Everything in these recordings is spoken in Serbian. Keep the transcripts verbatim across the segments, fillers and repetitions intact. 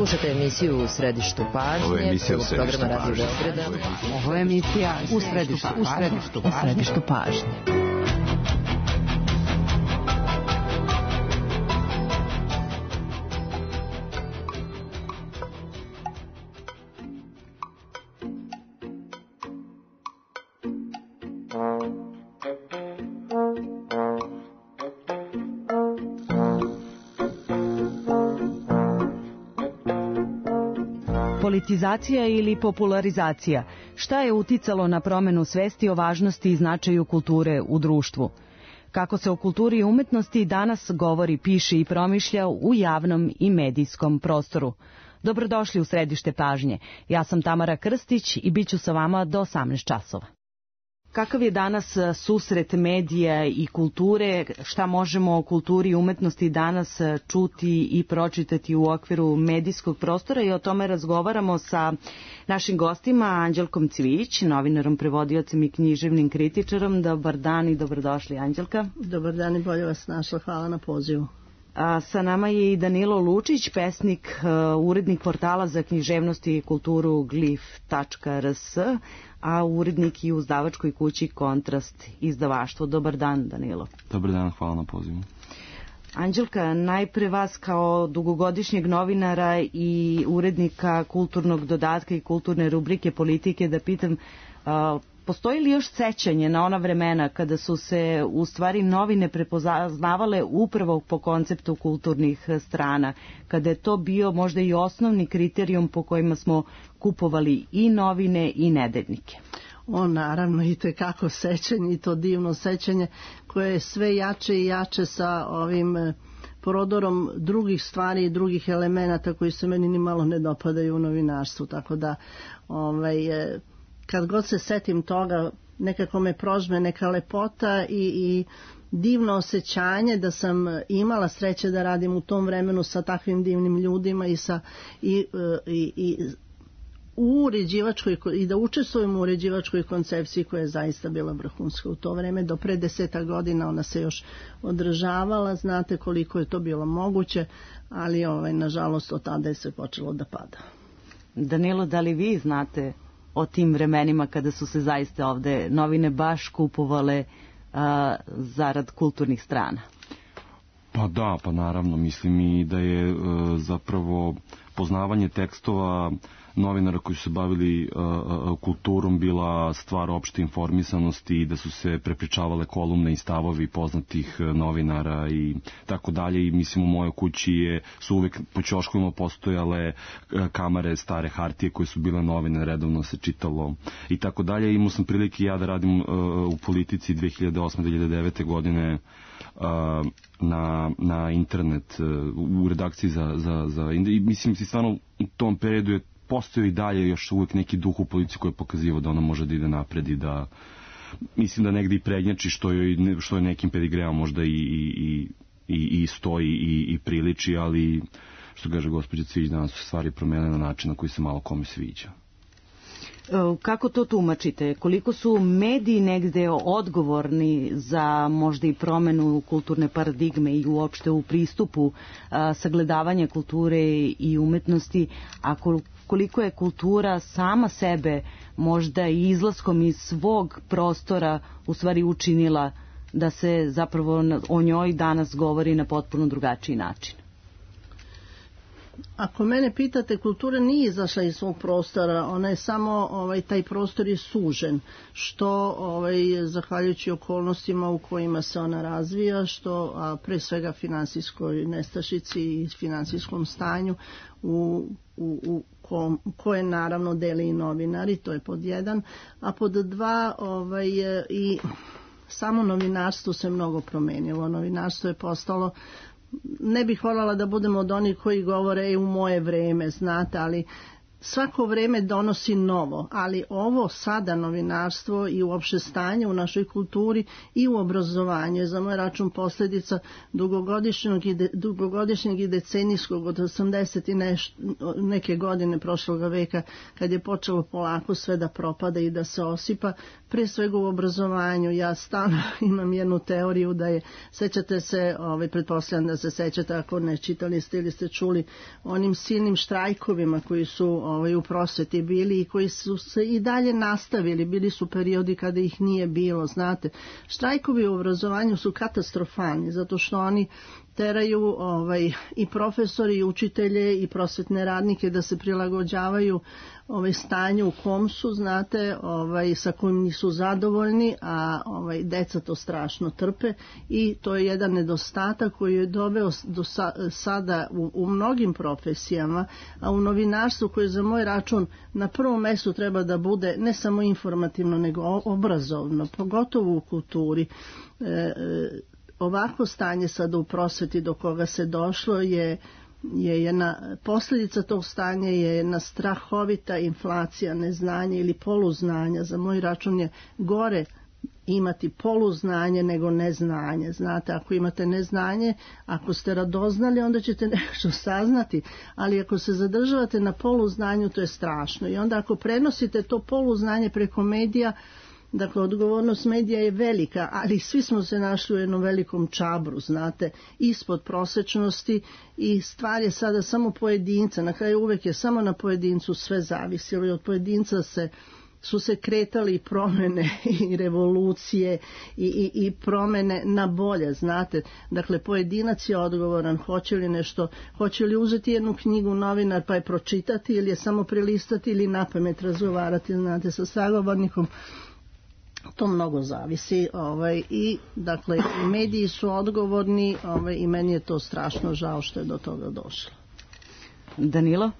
Slušajte emisiju U središtu pažnje. Ovo je emisija U središtu pažnje. Ovo je emisija U središtu pažnje. U središtu pažnje. Politizacija ili popularizacija. Šta je uticalo na promenu svesti o važnosti i značaju kulture u društvu? Kako se o kulturi i umetnosti danas govori, piše i promišlja u javnom i medijskom prostoru? Dobrodošli u središte pažnje. Ja sam Tamara Krstić i bit ću sa vama do osamnaest časova. Kakav je danas susret medija i kulture? Šta možemo o kulturi i umetnosti danas čuti i pročitati u okviru medijskog prostora? I o tome razgovaramo sa našim gostima, Anđelkom Cvijić, novinarom, prevodiocem i književnim kritičarom. Dobar dan i dobrodošli, Anđelka. Dobar dan i bolje vas našla. Hvala na pozivu. A sa nama je i Danilo Lučić, pesnik, urednik portala za književnost i kulturu glif tačka er es, a urednik i u izdavačkoj kući Kontrast izdavaštvo. Dobar dan, Danilo. Dobar dan, hvala na pozivu. Anđelka, najpre vas kao dugogodišnjeg novinara i urednika kulturnog dodatka i kulturne rubrike Politike da pitam, uh, postoji li još sećanje na ona vremena kada su se u stvari novine prepoznavale upravo po konceptu kulturnih strana, kada je to bio možda i osnovni kriterijum po kojima smo kupovali i novine i nedeljnike? O, naravno, i tekako sećanje, i to divno sećanje koje je sve jače i jače sa ovim prodorom drugih stvari i drugih elemenata koji se meni ni malo ne dopadaju u novinarstvu, tako da ovaj, kad god se setim toga, nekako me prožme neka lepota i, i divno osjećanje da sam imala sreće da radim u tom vremenu sa takvim divnim ljudima i, sa, i, i, i u uređivačkoj, i da učestvujem u uređivačkoj koncepciji koja je zaista bila vrhunska u to vreme. Do pre deseta godina ona se još održavala, znate koliko je to bilo moguće, ali ovaj, nažalost od tada je se počelo da pada. Danilo, da li vi znate o tim vremenima kada su se zaista ovde novine baš kupovale a, zarad kulturnih strana? Pa da, pa naravno, mislim i da je e, zapravo poznavanje tekstova novinara koji su se bavili uh, kulturom bila stvar opšte informisanosti i da su se prepričavale kolumne i stavovi poznatih novinara i tako dalje. I mislim u mojoj kući je, su uvek po ćoškovima postojale kamere stare hartije koje su bile novine, redovno se čitalo i tako dalje. Imao sam prilike ja da radim uh, u Politici dve hiljade osme do dve hiljade devete godine uh, na, na internet uh, u redakciji za, za, za i mislim si stvarno u tom periodu je postoji i dalje još uvijek neki duh u Policiji koji je pokazivao da ona može da ide napred i da mislim da negde i prednjači što je, što je nekim pedigreom možda i, i, i, i stoji i, i priliči, ali što kaže gospođa Cvijić, danas su stvari promenile na način na koji se malo kome sviđa. Kako to tumačite? Koliko su mediji negde odgovorni za možda i promenu kulturne paradigme i uopšte u pristupu a, sagledavanja kulture i umetnosti, a koliko je kultura sama sebe možda i izlaskom iz svog prostora u stvari učinila da se zapravo o njoj danas govori na potpuno drugačiji način? Ako mene pitate, kultura nije izašla iz svog prostora, ona je samo, ovaj, taj prostor je sužen, što ovaj, zahvaljujući okolnostima u kojima se ona razvija, što a pre svega finansijskoj nestašici i finansijskom stanju u, u, u kom, koje naravno deli i novinari, to je pod jedan, a pod dva ovaj, i samo novinarstvo se mnogo promenilo, novinarstvo je postalo, ne bih voljela da budemo od onih koji govore e, u moje vreme, znate, ali svako vreme donosi novo, ali ovo sada novinarstvo i uopšte stanje u našoj kulturi i u obrazovanju je za moj račun posljedica dugogodišnjeg i, de, dugogodišnjeg i decenijskog od osamdeset i neš, neke godine prošloga veka, kad je počelo polako sve da propada i da se osipa, pre svega u obrazovanju. Ja stalno imam jednu teoriju da je, sećate se, ovaj, pretpostavljam da se sećate, ako ne čitali ste ili ste čuli, onim silnim štrajkovima koji su ovaj, u prosveti bili i koji su se i dalje nastavili. Bili su periodi kada ih nije bilo, znate. Štrajkovi u obrazovanju su katastrofalni, zato što oni teraju ovaj, i profesori, i učitelje, i prosvetne radnike da se prilagođavaju ovaj, stanju u kom su, znate, ovaj, sa kojim nisu zadovoljni, a ovaj, deca to strašno trpe i to je jedan nedostatak koji je doveo do sa, sada u, u mnogim profesijama, a u novinarstvu koje za moj račun na prvom mestu treba da bude ne samo informativno nego obrazovno, pogotovo u kulturi. E, Ovako stanje sada u prosveti do koga se došlo je, je jedna posljedica tog stanja je jedna strahovita inflacija neznanja ili poluznanja. Za moj račun je gore imati poluznanje nego neznanje. Znate, ako imate neznanje, ako ste radoznali, onda ćete nešto saznati, ali ako se zadržavate na poluznanju, to je strašno. I onda ako prenosite to poluznanje preko medija, dakle, odgovornost medija je velika, ali svi smo se našli u jednom velikom čabru, znate, ispod prosečnosti i stvar je sada samo pojedinca. Na kraju uvek je samo na pojedincu sve zavisilo i od pojedinca se su se kretali i promene i revolucije i, i, i promene na bolje, znate. Dakle, pojedinac je odgovoran, hoće li nešto, hoće li uzeti jednu knjigu novinar pa je pročitati ili je samo prelistati ili napamet razgovarati, znate, sa sagovornikom. To mnogo zavisi, ovaj, i dakle mediji su odgovorni, ovaj, i meni je to strašno žao što je do toga došlo. Danilo?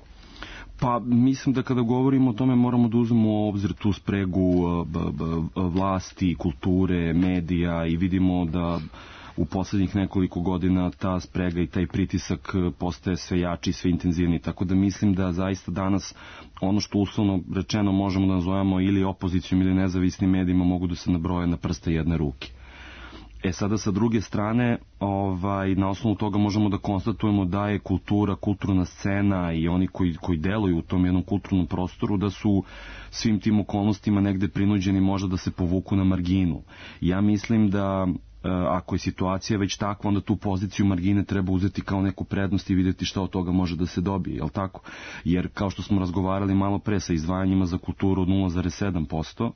Pa mislim da kada govorimo o tome moramo da uzmemo u obzir tu spregu b, b, vlasti, kulture, medija i vidimo da u poslednjih nekoliko godina ta sprega i taj pritisak postaje sve jači i sve intenzivniji, tako da mislim da zaista danas ono što uslovno rečeno možemo da nazovemo ili opozicijom ili nezavisnim medijima mogu da se nabroje na prste jedne ruke. E sada sa druge strane, ovaj, na osnovu toga možemo da konstatujemo da je kultura, kulturna scena i oni koji, koji deluju u tom jednom kulturnom prostoru da su svim tim okolnostima negde prinuđeni možda da se povuku na marginu. Ja mislim da ako je situacija već takva, onda tu poziciju margine treba uzeti kao neku prednost i vidjeti šta od toga može da se dobije, jel tako? Jer kao što smo razgovarali malo pre sa izdvajanjima za kulturu od nula zarez sedam posto,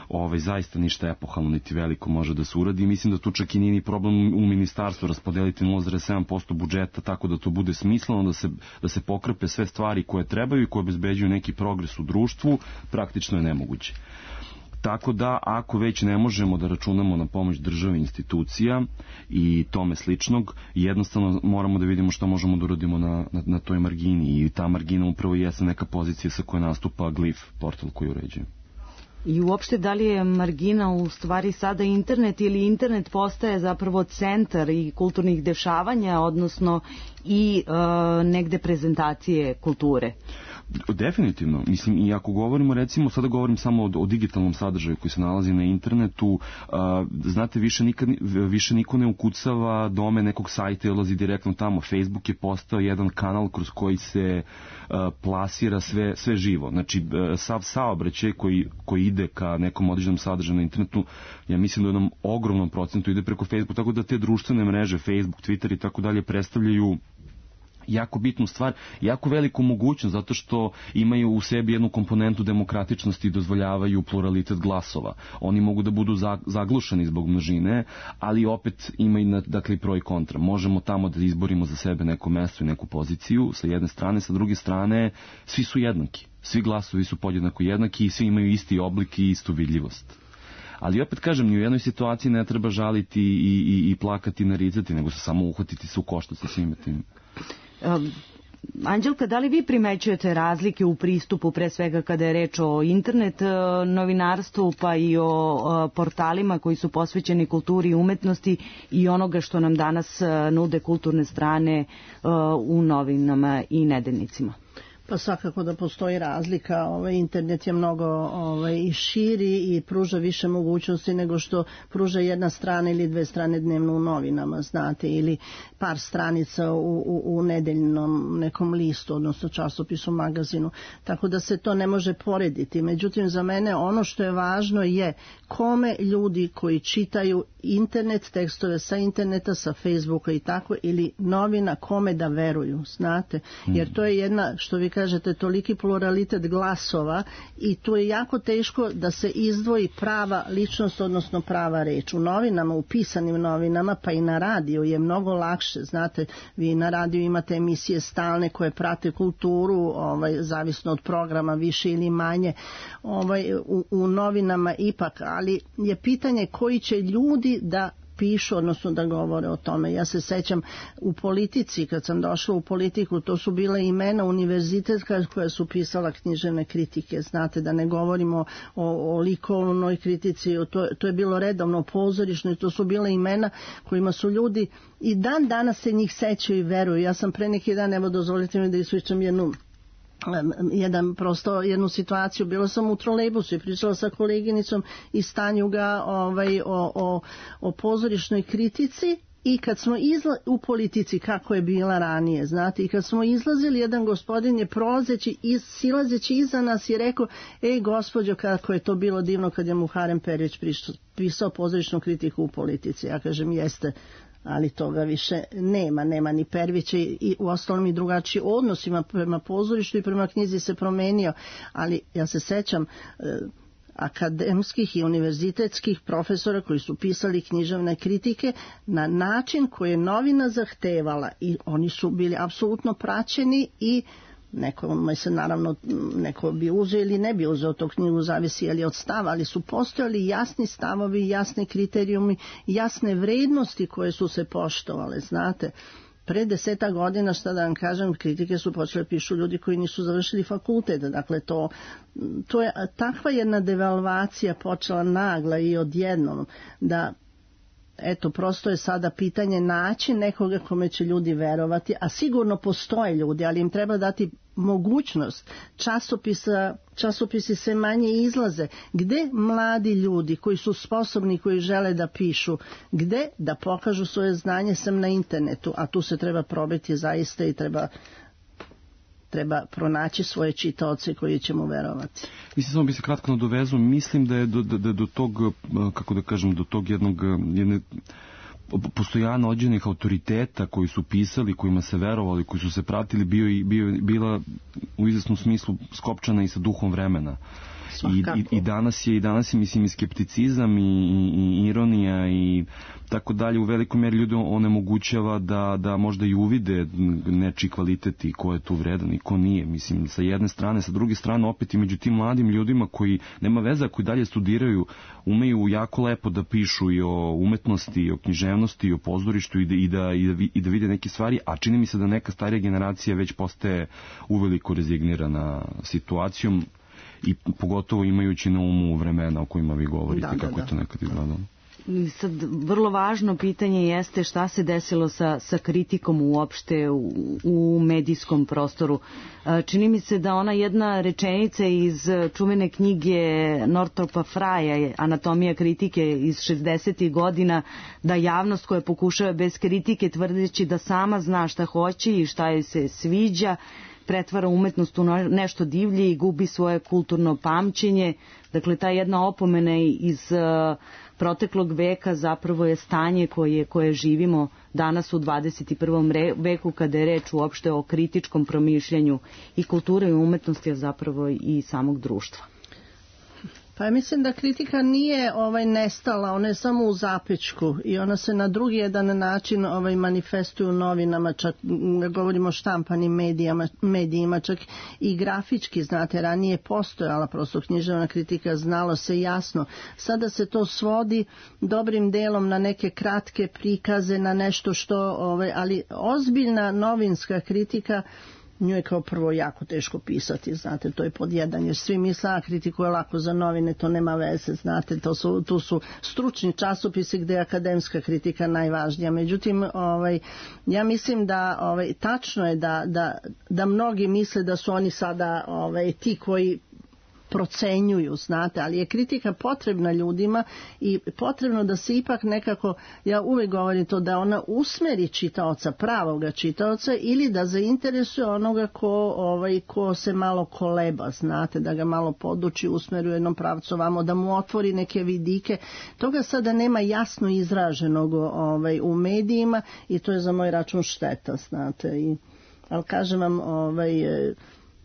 ovaj, zaista ništa epohalno niti veliko može da se uradi i mislim da tu čak i nije ni problem u ministarstvu raspodeliti nula zarez sedam posto budžeta tako da to bude smisleno, da se, da se pokrpe sve stvari koje trebaju i koje obezbeđuju neki progres u društvu, praktično je nemoguće. Tako da, ako već ne možemo da računamo na pomoć države, institucija i tome sličnog, jednostavno moramo da vidimo šta možemo da uradimo na, na, na toj margini i ta margina upravo jeste neka pozicija sa koje nastupa Glif, portal koji uređuje. I uopšte da li je margina u stvari sada internet ili internet postaje zapravo centar i kulturnih dešavanja, odnosno i e, negde prezentacije kulture? Definitivno. Mislim, i ako govorimo, recimo, sada govorim samo o, o digitalnom sadržaju koji se nalazi na internetu, a, znate, više, nikad, više niko ne ukucava dome nekog sajta i odlazi direktno tamo. Facebook je postao jedan kanal kroz koji se a, plasira sve, sve živo. Znači, a, sav saobraćaj koji, koji ide ka nekom određenom sadržaju na internetu, ja mislim da u jednom ogromnom procentu ide preko Facebooka, tako da te društvene mreže, Facebook, Twitter i tako dalje predstavljaju jako bitnu stvar, jako veliku mogućnost zato što imaju u sebi jednu komponentu demokratičnosti i dozvoljavaju pluralitet glasova. Oni mogu da budu zaglušeni zbog množine, ali opet imaju, dakle, pro i kontra. Možemo tamo da izborimo za sebe neko mesto i neku poziciju sa jedne strane, sa druge strane svi su jednaki. Svi glasovi su podjednako jednaki i svi imaju isti oblik i istu vidljivost. Ali opet kažem, ni u jednoj situaciji ne treba žaliti i, i, i plakati i naricati, nego se samo uhvatiti se u koštac sa svime tim. Um, Anđelka, da li vi primećujete razlike u pristupu, pre svega kada je reč o internet novinarstvu, pa i o portalima koji su posvećeni kulturi i umetnosti i onoga što nam danas nude kulturne strane u novinama i nedeljnicima? Pa svakako da postoji razlika. Ovaj, internet je mnogo ovaj, i širi i pruža više mogućnosti nego što pruža jedna strana ili dve strane dnevno u novinama, znate, ili par stranica u, u, u nedeljnom nekom listu, odnosno časopisu, magazinu. Tako da se to ne može porediti. Međutim, za mene ono što je važno je kome ljudi koji čitaju internet, tekstove sa interneta, sa Facebooka i tako, ili novina, kome da veruju, znate, jer to je jedna, što vi kažete, toliki pluralitet glasova i tu je jako teško da se izdvoji prava ličnost, odnosno prava reč. U novinama, u pisanim novinama, pa i na radiju je mnogo lakše, znate, vi na radiju imate emisije stalne koje prate kulturu, ovaj, zavisno od programa, više ili manje, ovaj, u, u novinama ipak, ali je pitanje koji će ljudi da pišu, odnosno da govore o tome. Ja se sećam u politici, kad sam došla u politiku, to su bile imena univerzitetka koja su pisala književne kritike, znate, da ne govorimo o, o likovnoj kritici, to, to je bilo redovno pozorišno i to su bile imena kojima su ljudi i dan danas se njih sećaju i veruju. Ja sam pre neki dan, evo dozvolite mi da ispričam jednu jedan prosto jednu situaciju. Bila sam u trolejbusu i pričala sa koleginicom iz Tanjuga ovaj, o, o, o pozorišnoj kritici i kad smo izla, u politici kako je bila ranije, znate, i kad smo izlazili, jedan gospodin je prolazeći, iz, silazeći iza nas i rekao, ej gospođo, kako je to bilo divno kad je Muharrem Perić pisao pozorišnu kritiku u politici. Ja kažem, jeste, ali toga više nema, nema ni Pervića i u ostalom i drugačiji odnos ima prema pozorištu i prema knjizi se promenio, ali ja se sećam eh, akademskih i univerzitetskih profesora koji su pisali književne kritike na način koji je novina zahtevala i oni su bili apsolutno praćeni i nekome se naravno, neko bi uzeo ili ne bi uzeo to knjigu, zavisi ali od stava, ali su postojali jasni stavovi, jasni kriterijumi, jasne vrednosti koje su se poštovale, znate. Pre deseta godina, šta da vam kažem, kritike su počele pišu ljudi koji nisu završili fakultet, dakle to, to je takva jedna devalvacija počela nagla i odjednom da eto, prosto je sada pitanje naći nekoga kome će ljudi verovati, a sigurno postoje ljudi, ali im treba dati mogućnost. Časopisa, časopisi sve manje izlaze. Gde mladi ljudi koji su sposobni, koji žele da pišu, gde da pokažu svoje znanje sem na internetu, a tu se treba probiti zaista i treba treba pronaći svoje čitaoce koji će mu verovati. Mislim, samo bi se kratko nadovezao, mislim da je do, da, do tog, kako da kažem, do tog jednog, jedne postojanja određenih autoriteta koji su pisali, kojima se verovali, koji su se pratili, bio i, bio, bila u izvesnom smislu skopčana i sa duhom vremena. I, i, i danas je i danas je mislim i skepticizam i, i, i ironija i tako dalje u velikoj meri ljudi onemogućava da, da možda i uvide nečiji kvalitet i ko je tu vredan i ko nije, mislim, sa jedne strane, sa druge strane opet i među tim mladim ljudima koji nema veze, koji dalje studiraju, umeju jako lepo da pišu i o umetnosti, i o književnosti, i o pozorištu i da, i da, i da, i da vide neke stvari, a čini mi se da neka starija generacija već postaje uveliko rezignirana situacijom i pogotovo imajući na umu vremena o kojima vi govorite, da, kako da, je to nekad izgledalo. Sad, vrlo važno pitanje jeste šta se desilo sa, sa kritikom uopšte u, u medijskom prostoru. Čini mi se da ona jedna rečenica iz čuvene knjige Northopa Frya, Anatomija kritike iz šezdesetih godina, da javnost koja pokušava bez kritike tvrdeći da sama zna šta hoće i šta joj se sviđa, pretvara umetnost u nešto divlje i gubi svoje kulturno pamćenje. Dakle, ta jedna opomena iz uh, proteklog veka zapravo je stanje koje, koje živimo danas u dvadeset i prvom veku kada je reč uopšte o kritičkom promišljanju i kulture i umetnosti, a zapravo i samog društva. Pa mislim da kritika nije ovaj nestala, ona je samo u zapećku i ona se na drugi jedan način ovaj manifestuje u novinama, čak govorimo o štampanim medijama, medijima, čak i grafički, znate, ranije postojala prosto književna kritika, znalo se jasno. Sada se to svodi dobrim delom na neke kratke prikaze, na nešto što, ovaj, ali ozbiljna novinska kritika nju je kao prvo jako teško pisati, znate, to je pod jedan, jer svi misle, a kritiku je lako za novine, to nema veze, znate, to su, tu su stručni časopisi gde je akademska kritika najvažnija. Međutim, ovaj, ja mislim da ovaj, tačno je da, da, da mnogi misle da su oni sada ovaj, ti koji procenjuju, znate, ali je kritika potrebna ljudima i potrebno da se ipak nekako, ja uvijek govorim to, da ona usmeri čitaoca, pravoga čitaoca, ili da zainteresuje onoga ko, ovaj, ko se malo koleba, znate, da ga malo poduči, usmeri u jednom pravcu vamo, da mu otvori neke vidike. Toga sada nema jasno izraženog ovaj, u medijima i to je za moj račun šteta, znate. I, ali kažem vam, ovaj,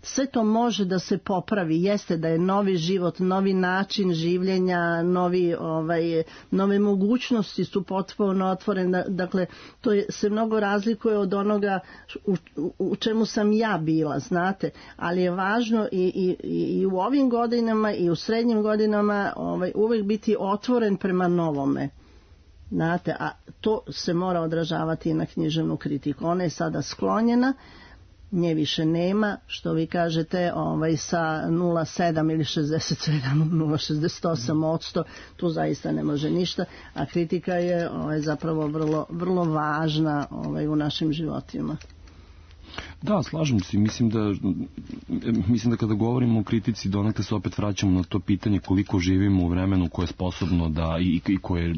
sve to može da se popravi, jeste da je novi život, novi način življenja, novi, ovaj, nove mogućnosti su potpuno otvorene, dakle to je, se mnogo razlikuje od onoga u, u čemu sam ja bila, znate, ali je važno i, i, i u ovim godinama i u srednjim godinama ovaj, uvijek biti otvoren prema novome. Znate, a to se mora odražavati i na književnu kritiku. Ona je sada sklonjena, nje više nema, što vi kažete, ovaj, sa nula zarez sedam ili šezdeset sedam, nula zarez šezdeset osam odsto, tu zaista ne može ništa, a kritika je ovaj, zapravo vrlo, vrlo važna ovaj, u našim životima. Da, slažem se. Mislim da, mislim da kada govorimo o kritici, donekle se opet vraćamo na to pitanje koliko živimo u vremenu koje je sposobno da i, i koje je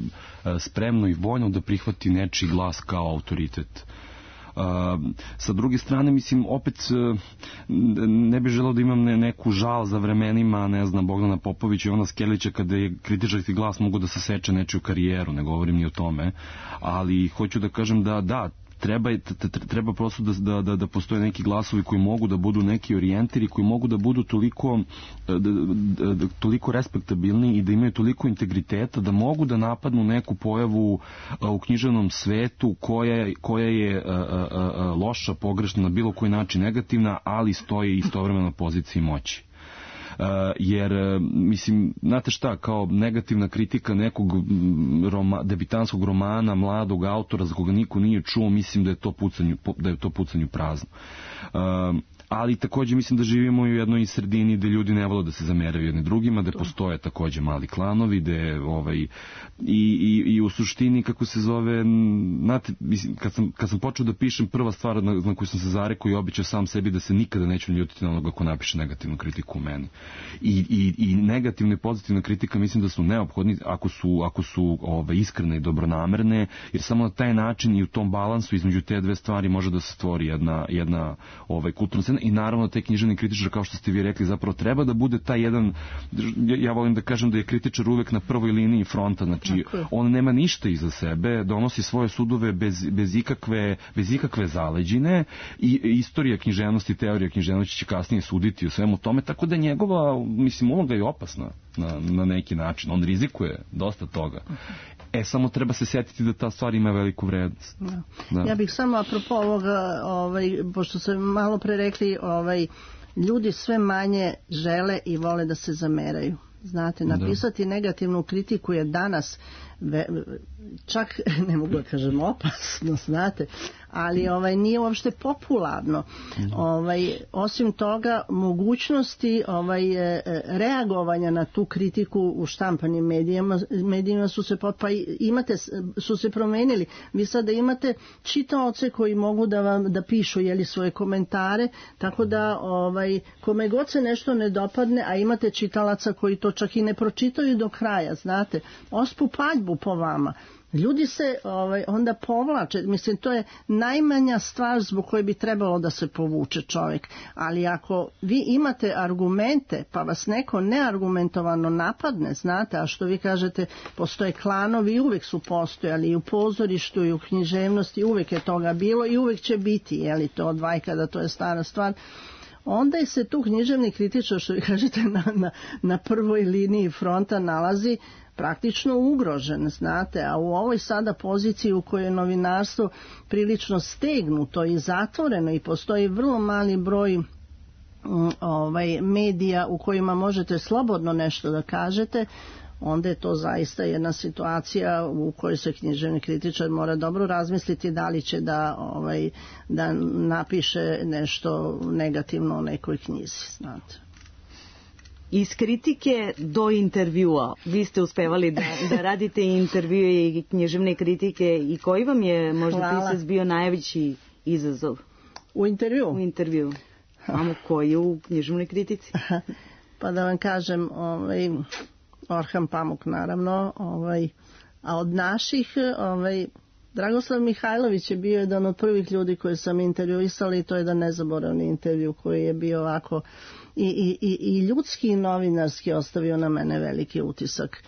spremno i voljno da prihvati nečiji glas kao autoritet. Uh, sa druge strane, mislim, opet uh, ne bih želeo da imam ne, neku žal za vremenima, ne znam, Bogdana Popovića i Ivana Skelića kada je kritičarski glas mogu da se seče nečiju karijeru, ne govorim ni o tome, ali hoću da kažem da da, treba, treba prosto da, da, da postoje neki glasovi koji mogu da budu neki orijentiri, koji mogu da budu toliko, da, da, da, toliko respektabilni i da imaju toliko integriteta da mogu da napadnu neku pojavu u književnom svetu koja, koja je a, a, a, loša, pogrešna, na bilo koji način negativna, ali stoji istovremeno na poziciji moći. Uh, jer, uh, mislim, znate šta, kao negativna kritika nekog roma, debitanskog romana, mladog autora za koga niko nije čuo, mislim da je to pucanju, da je to pucanju prazno. Uh, ali takođe mislim da živimo u jednoj sredini gde ljudi ne vole da se zameraju jedni drugima, gde postoje takođe mali klanovi, gde ovaj, i, i, i u suštini, kako se zove, znate, mislim, kad sam, kad sam počeo da pišem, prva stvar na, na koju sam se zarekao i običao sam sebi da se nikada neću ljutiti na onoga ko napiše negativnu kritiku u meni. I, i, i negativna i pozitivna kritika mislim da su neophodni ako su, ako su ovaj, iskrene i dobronamerne, jer samo na taj način i u tom balansu između te dve stvari može da se stvori jedna, jedna ovaj, kulturna scena. I naravno taj književni kritičar, kao što ste vi rekli, zapravo treba da bude taj jedan, ja volim da kažem da je kritičar uvek na prvoj liniji fronta, znači on nema ništa iza sebe, donosi svoje sudove bez, bez, ikakve, bez ikakve zaleđine i istorija književnosti, teorija književnosti će kasnije suditi o svemu tome, tako da njegova, mislim, uloga je opasna na, na neki način, on rizikuje dosta toga. E, samo treba se sjetiti da ta stvar ima veliku vrednost. Da. Da. Ja bih samo apropo ovoga, ovaj, pošto se malo pre rekli, ovaj, ljudi sve manje žele i vole da se zameraju. Znate, napisati da. negativnu kritiku je danas ve, čak, ne mogu da kažem opasno, znate, ali ovaj, nije uopšte popularno. Da. Ovaj, osim toga, mogućnosti ovaj, reagovanja na tu kritiku u štampanim medijima, medijima su se, pa imate, su se promenili. Vi sada imate čitaoce koji mogu da vam da pišu jeli, svoje komentare, tako da ovaj, kome god se nešto ne dopadne, a imate čitalaca koji to čak i ne pročitaju do kraja, znate, ospu paljbu po vama. Ljudi se ovaj, onda povlače, mislim, to je najmanja stvar zbog koje bi trebalo da se povuče čovjek, ali ako vi imate argumente pa vas neko neargumentovano napadne, znate, a što vi kažete, postoje klanovi i uvijek su postojali i u pozorištu i u književnosti, uvijek je toga bilo i uvijek će biti, je li to od vajkada, to je stara stvar. Onda je se tu književni kritičar, što vi kažete, na, na, na prvoj liniji fronta nalazi praktično ugrožen, znate, a u ovoj sada poziciji u kojoj je novinarstvo prilično stegnuto i zatvoreno i postoji vrlo mali broj ovaj, medija u kojima možete slobodno nešto da kažete, onda je to zaista jedna situacija u kojoj se književni kritičar mora dobro razmisliti da li će da, ovaj, da napiše nešto negativno o nekoj knjizi, znate. Iz kritike do intervjua, vi ste uspevali da, da radite intervjue i književne kritike, i koji vam je možda Hvala. pisac bio najveći izazov? U intervju? U intervju. Samo koji u književnoj kritici? Pa da vam kažem, ovaj, Orhan Pamuk naravno, ovaj, a od naših, ovaj, Dragoslav Mihajlović je bio jedan od prvih ljudi koje sam intervjuisala i to je jedan nezaboravni intervju koji je bio ovako i, i, i ljudski i novinarski ostavio na mene veliki utisak.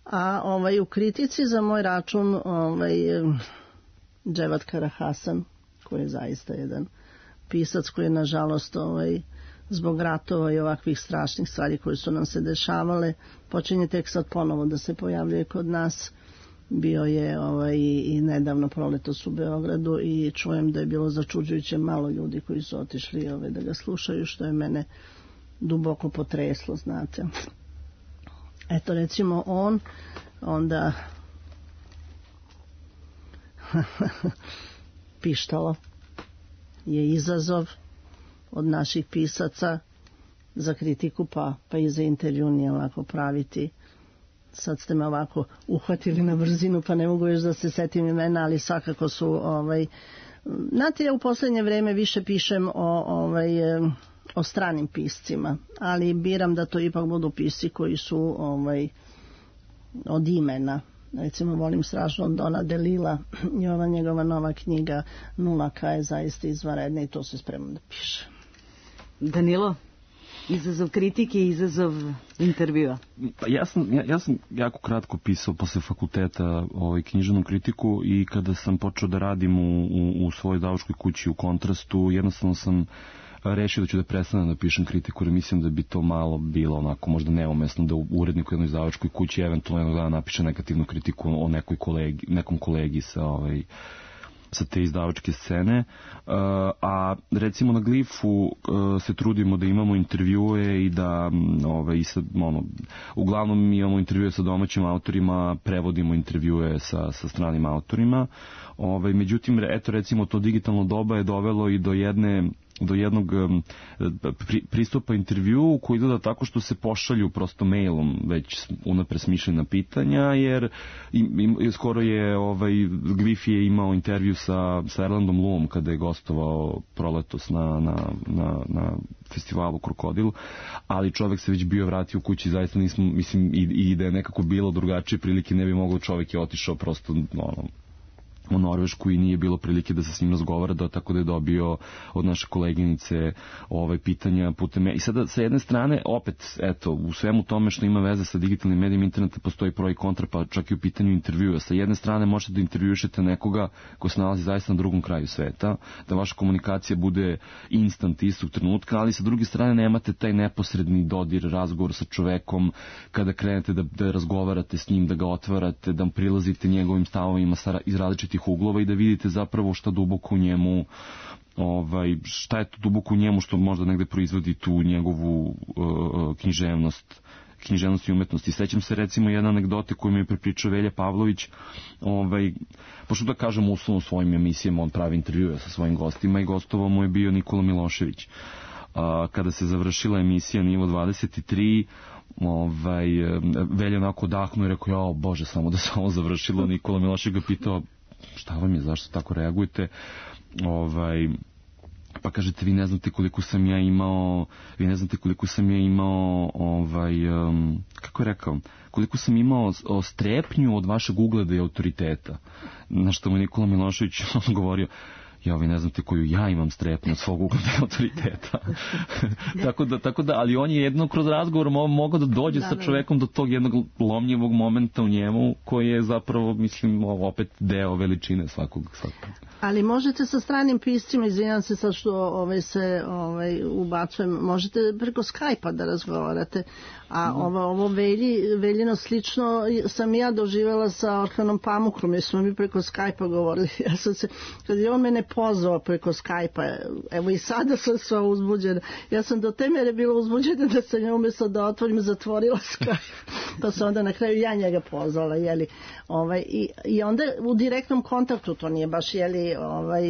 A ovaj, u kritici za moj račun ovaj, Dževat Karahasan, koji je zaista jedan pisac koji je nažalost ovaj, zbog ratova i ovakvih strašnih stvari koje su nam se dešavale, počinje tek sad ponovo da se pojavljuje kod nas. Bio je ovaj, i nedavno proletos u Beogradu i čujem da je bilo začuđujuće malo ljudi koji su otišli ovaj, da ga slušaju, što je mene duboko potreslo, znate. Eto, recimo on, onda Pištalo je izazov od naših pisaca za kritiku, pa, pa i za intervju nije lako praviti. Sad ste me ovako uhvatili na brzinu, pa ne mogu još da se setim imena, ali svakako su ovaj, znate, ja u poslednje vreme više pišem o, ovaj, o stranim piscima, ali biram da to ipak budu pisci koji su ovaj, od imena. Recimo, volim strašno Dona DeLilla i ova njegova nova knjiga Nulaka je zaista izvanredna i to se spremam da piše. Danilo, izazov kritike i izazov intervjua. Pa ja sam, ja, ja sam jako kratko pisao posle fakulteta ovaj, književnu kritiku i kada sam počeo da radim u, u, u svojoj izdavačkoj kući u Kontrastu, jednostavno sam rešio da ću da prestanem da pišem kritiku, jer mislim da bi to malo bilo onako možda neumesno da urednik u jednoj izdavačkoj kući eventualno jednog dana napiše negativnu kritiku o nekoj kolegi, nekom kolegi sa ovaj, sa te izdavačke scene, uh, a recimo na Glifu uh, se trudimo da imamo intervjue i da ovaj, i sa, ono, uglavnom imamo intervjue sa domaćim autorima, prevodimo intervjue sa, sa stranim autorima, ovaj, međutim, eto recimo to digitalno doba je dovelo i do jedne do jednog um, pri, pristupa intervju koji izgleda tako što se pošalju prosto mailom već unapred smišljena pitanja, jer im, im, skoro je ovaj, Glif je imao intervju sa, sa Erlandom Luom kada je gostovao proletos na, na, na, na festivalu Krokodil, ali čovek se već bio vratio u kući, zaista nismo, mislim, i, i da je nekako bilo drugačije prilike ne bi mogao, čovek je otišao prosto ono, u Norvešku i nije bilo prilike da se s njim razgovara, da, tako da je dobio od naše koleginice ovaj, pitanja putem... I sada sa jedne strane, opet, eto, u svemu tome što ima veze sa digitalnim medijima interneta postoji pro i kontra, pa čak i u pitanju intervjua. Sa jedne strane možete da intervjušete nekoga ko se nalazi zaista na drugom kraju sveta, da vaša komunikacija bude instant istog trenutka, ali sa druge strane nemate taj neposredni dodir, razgovor sa čovekom, kada krenete da, da razgovarate s njim, da ga otvarate, da prilazite njegovim stavovima iz različitih uglova i da vidite zapravo šta duboko u njemu, ovaj, šta je to duboko u njemu što možda negde proizvodi tu njegovu uh, književnost, književnost i umetnost. I sećam se recimo jedne anegdote koju mi je prepričao Velja Pavlović, ovaj, pošto da kažem uslovno u svojim emisijama, on pravi intervjue sa svojim gostima i gostovao mu je bio Nikola Milošević. Uh, kada se završila emisija Nivo dvadeset tri, ovaj, Velja onako odahnuo i rekao, jao Bože, samo da se ovo završilo. Nikola Milošević ga pitao, šta vam je, zašto tako reagujete? Ovaj, pa kažete, vi ne znate koliko sam ja imao, vi ne znate koliko sam ja imao, ovaj, um, kako je rekao, koliko sam imao strepnju od vašeg ugleda i autoriteta. Na što mu Nikola Milošević govorio, ja, vi ne znate koju ja imam strepnju od svog ugleda i autoriteta. tako, da, tako da, ali on je jedno kroz razgovor mogao da dođe da, sa čovekom do tog jednog lomljivog momenta u njemu, koji je zapravo, mislim, opet deo veličine svakog. svakog. Ali možete sa stranim piscima, izvinjam se sad što ovaj, se ovaj, ubacujem, možete preko Skype-a da razgovarate, a ovo, ovo velji, veljino slično sam ja doživjela sa Orhanom Pamukom, jer smo mi preko Skype-a govorili. Ja sam se, kad je on mene pozvao preko Skype-a. Evo i sada sam sva uzbuđena. Ja sam do te mere bila uzbuđena da sam ja umjesto da otvorim zatvorila Skype. Pa sam onda na kraju ja njega pozvala. Jeli, ovaj, i, I onda u direktnom kontaktu, to nije baš jeli, ovaj,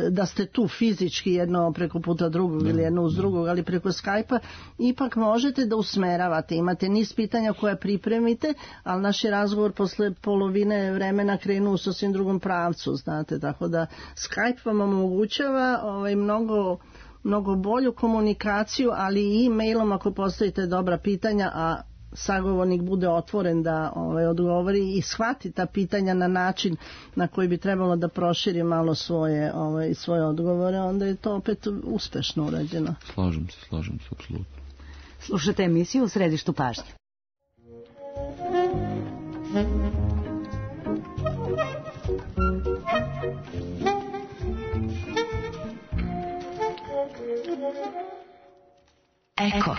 da ste tu fizički jedno preko puta drugog ne, ili jedno uz drugog, ali preko Skype-a ipak možete da usmeravate. Imate niz pitanja koje pripremite, ali naš je razgovor posle polovine vremena krenu u sasvim drugom pravcu, znate, tako da Skype vam omogućava ovaj, mnogo, mnogo bolju komunikaciju, ali i e-mailom ako postavite dobra pitanja, a sagovornik bude otvoren da ovaj, odgovori i shvati ta pitanja na način na koji bi trebalo da proširi malo svoje, ovaj, svoje odgovore, onda je to opet uspešno urađeno. Slažem se, slažem se, apsolutno. Slušate emisiju U središtu pažnje. Eko.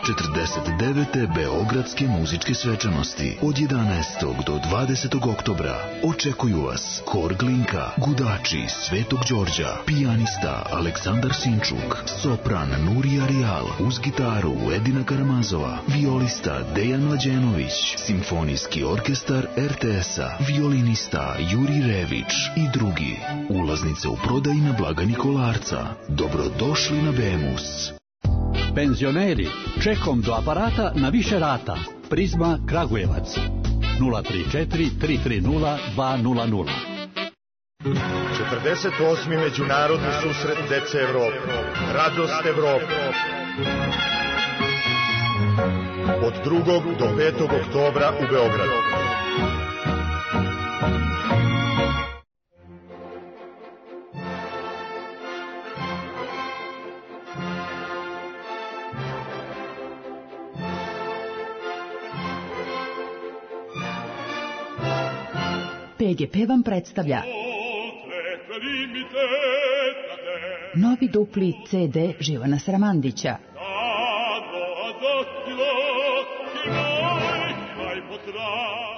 četrdeset devete Beogradske muzičke svečanosti od jedanaestog do dvadesetog oktobra očekuju vas Hor Glinka, Gudači Svetog Đorđa, pijanista Aleksandar Sinčuk, sopran Nurija Rijal, uz gitaru Edina Karamazova, violista Dejan Mlađenović, simfonijski orkestar er te es-a, violinista Juri Rević i drugi. Ulaznice u prodaji na blagajni Kolarca. Dobrodošli na Bemus. Penzioneri, čekom do aparata na više rata. Prizma Kragujevac. nula tri četiri tri tri nula dva nula nula. četrdeset osmi Međunarodni susret dece Evrope. Radost Evrope. Od drugog do petog oktobra u Beogradu. pe ge pe vam predstavlja novi dupli ce de Živana Sramandića.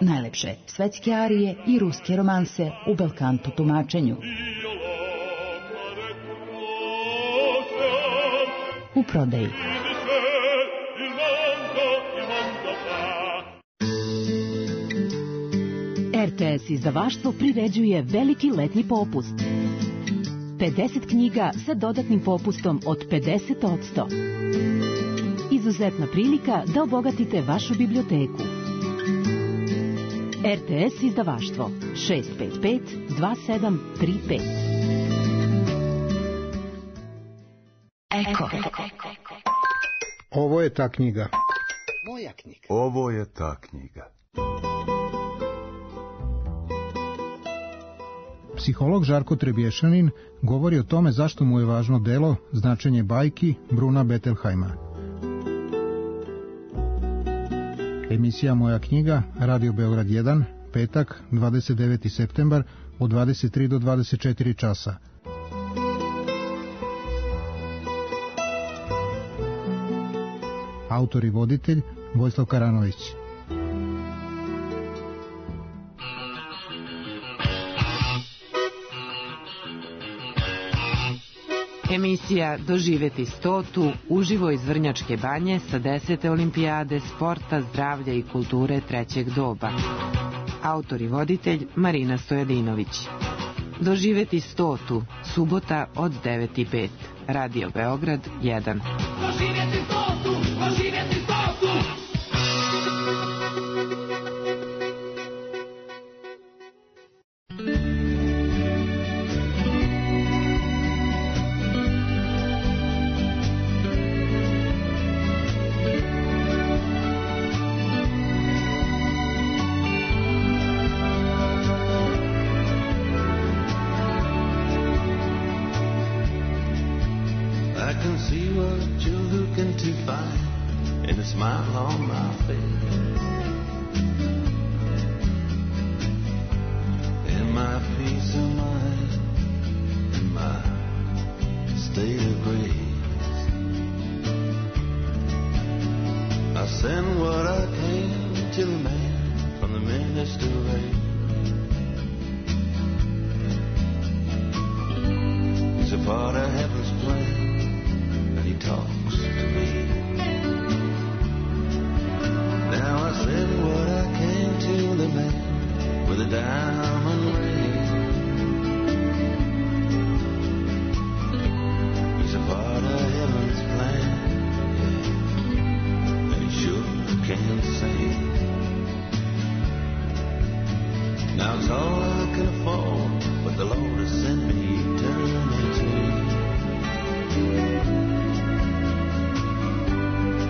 Najlepše svetske arije i ruske romanse u belkanto tumačenju. U prodaji. er te es izdavaštvo priređuje veliki letnji popust. pedeset knjiga sa dodatnim popustom od pedeset posto. Izuzetna prilika da obogatite vašu biblioteku. er te es izdavaštvo šest pet pet dva sedam tri pet. Eko. Ovo je ta knjiga. Moja knjiga. Ovo je ta knjiga. Psiholog Žarko Trebješanin govori o tome zašto mu je važno delo Značenje bajki Bruna Bettelheima. Emisija Moja knjiga, Radio Beograd jedan, petak, dvadeset deveti septembar, od dvadeset tri do dvadeset četiri časa. Autor i voditelj Vojislav Karanović. Emisija Doživeti stotu uživo iz Vrnjačke banje sa desete olimpijade sporta, zdravlja i kulture trećeg doba. Autor i voditelj Marina Stojadinović. Doživeti stotu, subota od devet i pet. Radio Beograd jedan. Doživeti stotu, doživeti stotu! He's a part of heaven's plan, and he talks to me. Now I send what I can to the man with a diamond ring. He's a part of heaven's plan, yeah, and he sure can sing. Now it's all I can afford, but the Lord has sent me eternity.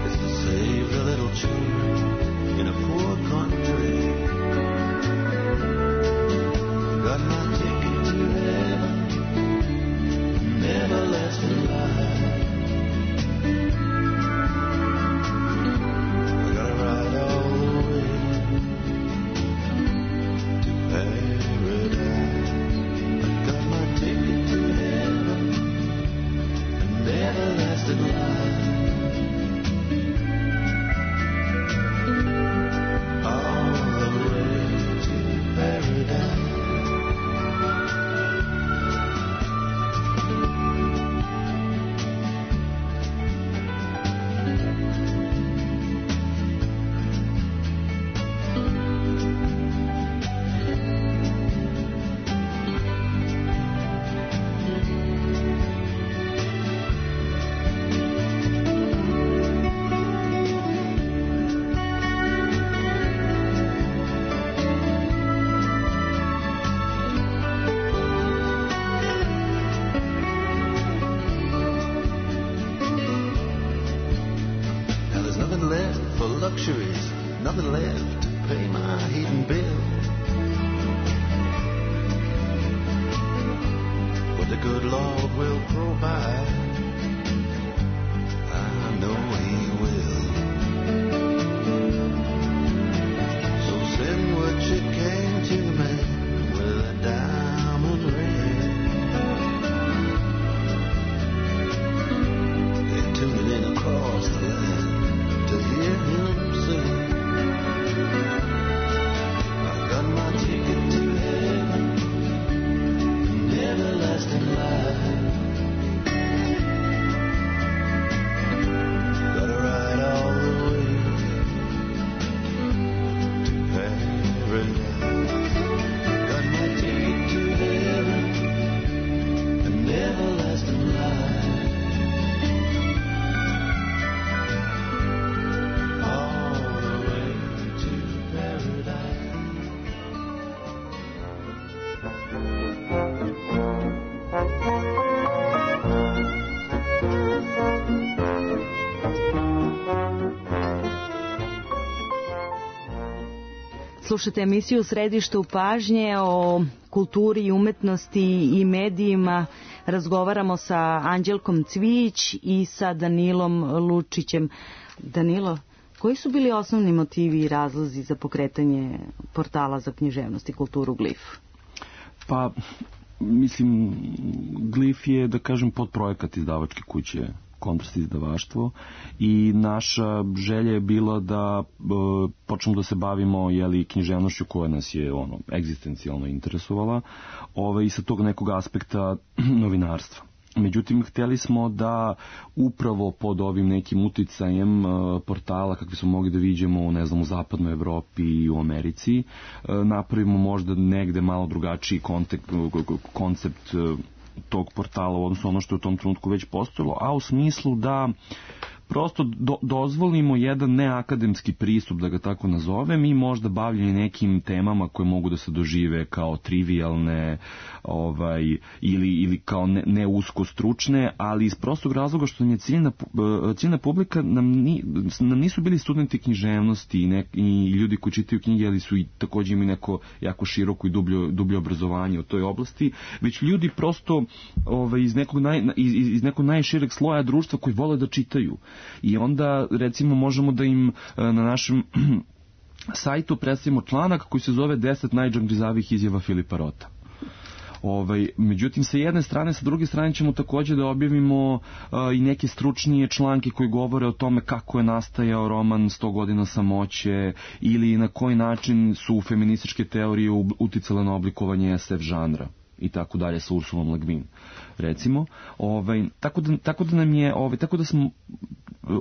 It's to save the little children in a poor country. Got my ticket to heaven, an everlasting life. I gotta ride all the way to paradise. I got my ticket to heaven, an everlasting life. Luxuries, nothing left to pay my heating bill. But the good Lord will provide, I know He will. So send what you can to the man with a diamond ring. They're tuning in across the land to hear Him sing. I got my ticket to heaven, an everlasting life. Gotta ride all the way to paradise. Got my ticket to heaven, an everlasting life. Slušate emisiju u središtu pažnje o kulturi i umetnosti i medijima. Razgovaramo sa Anđelkom Cvijić i sa Danilom Lučićem. Danilo, koji su bili osnovni motivi i razlozi za pokretanje portala za književnost i kulturu Glif? Pa, mislim, Glif je, da kažem, podprojekat izdavačke kuće Kontrast izdavaštvo i naša želja je bila da e, počnemo da se bavimo jeli, književnošću koja nas je ono, egzistencijalno interesovala ove, i sa tog nekog aspekta novinarstva. Međutim, htjeli smo da upravo pod ovim nekim uticajem e, portala, kakvi smo mogli da vidimo ne znam, u zapadnoj Evropi i u Americi, e, napravimo možda negde malo drugačiji kontekst, koncept e, tog portala u odnosu ono što je u tom trenutku već postojalo, a u smislu da prosto do, dozvolimo jedan neakademski pristup, da ga tako nazovem, i možda bavljeni nekim temama koje mogu da se dožive kao trivialne ovaj, ili, ili kao ne, ne usko stručne, ali iz prostog razloga što nam je ciljna, ciljna publika nam, ni, nam nisu bili studenti književnosti i, ne, i ljudi koji čitaju knjige, ali su i također imali neko jako široko i dublje, dublje obrazovanje u toj oblasti, već ljudi prosto ovaj, iz, nekog naj, iz, iz nekog najšireg sloja društva koji vole da čitaju. I onda, recimo, možemo da im na našem sajtu predstavimo članak koji se zove deset najdžangrizavih izjava Filipa Rota. Ovaj, međutim, sa jedne strane, sa druge strane ćemo također da objavimo a, i neke stručnije članke koji govore o tome kako je nastajao roman sto godina samoće ili na koji način su feminističke teorije uticale na oblikovanje es ef žanra. i tako dalje sa Ursulom Le Guin, recimo. Ovaj, tako, da, tako da nam je, ovaj, tako da smo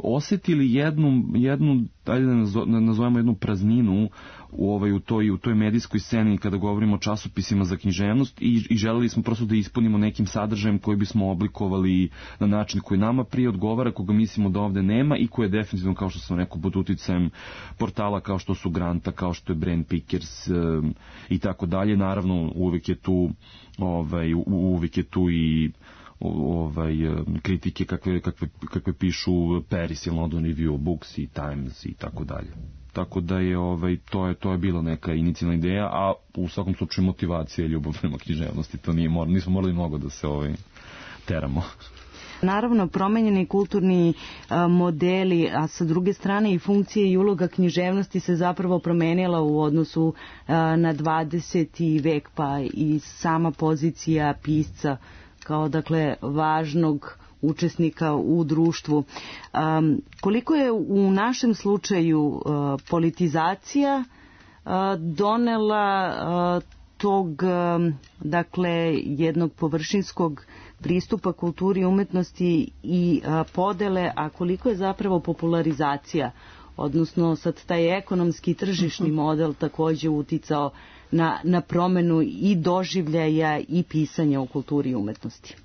osjetili jednu, jednu ajde da nazovemo jednu prazninu u, ovaj, u, toj, u toj medijskoj sceni kada govorimo o časopisima za književnost i, i želeli smo prosto da ispunimo nekim sadržajem koji bismo oblikovali na način koji nama prije odgovara, koga mislimo da ovde nema i koji je definitivno, kao što sam rekao, pod uticajem portala kao što su Granta, kao što je Brain Pickers um, i tako dalje. Naravno, uvek je tu ovaj, uvek je tu i ovaj, kritike kakve, kakve, kakve pišu Paris i London Review of Books i Times i tako dalje. Tako da je ovaj to je to je bila neka inicijalna ideja, a u svakom slučaju motivacija i ljubav prema književnosti, to nije mor, nismo morali mnogo da se ovaj teramo. Naravno, promenjeni kulturni a, modeli, a sa druge strane i funkcije i uloga književnosti se zapravo promenila u odnosu a, na dvadeseti vek, pa i sama pozicija pisca kao, dakle, važnog učesnika u društvu. Um, koliko je u našem slučaju uh, politizacija uh, donela uh, tog, um, dakle, jednog površinskog pristupa kulturi i umetnosti i uh, podele, a koliko je zapravo popularizacija, odnosno sad taj ekonomski tržišni model takođe uticao na, na promenu i doživljaja i pisanja u kulturi i umetnosti?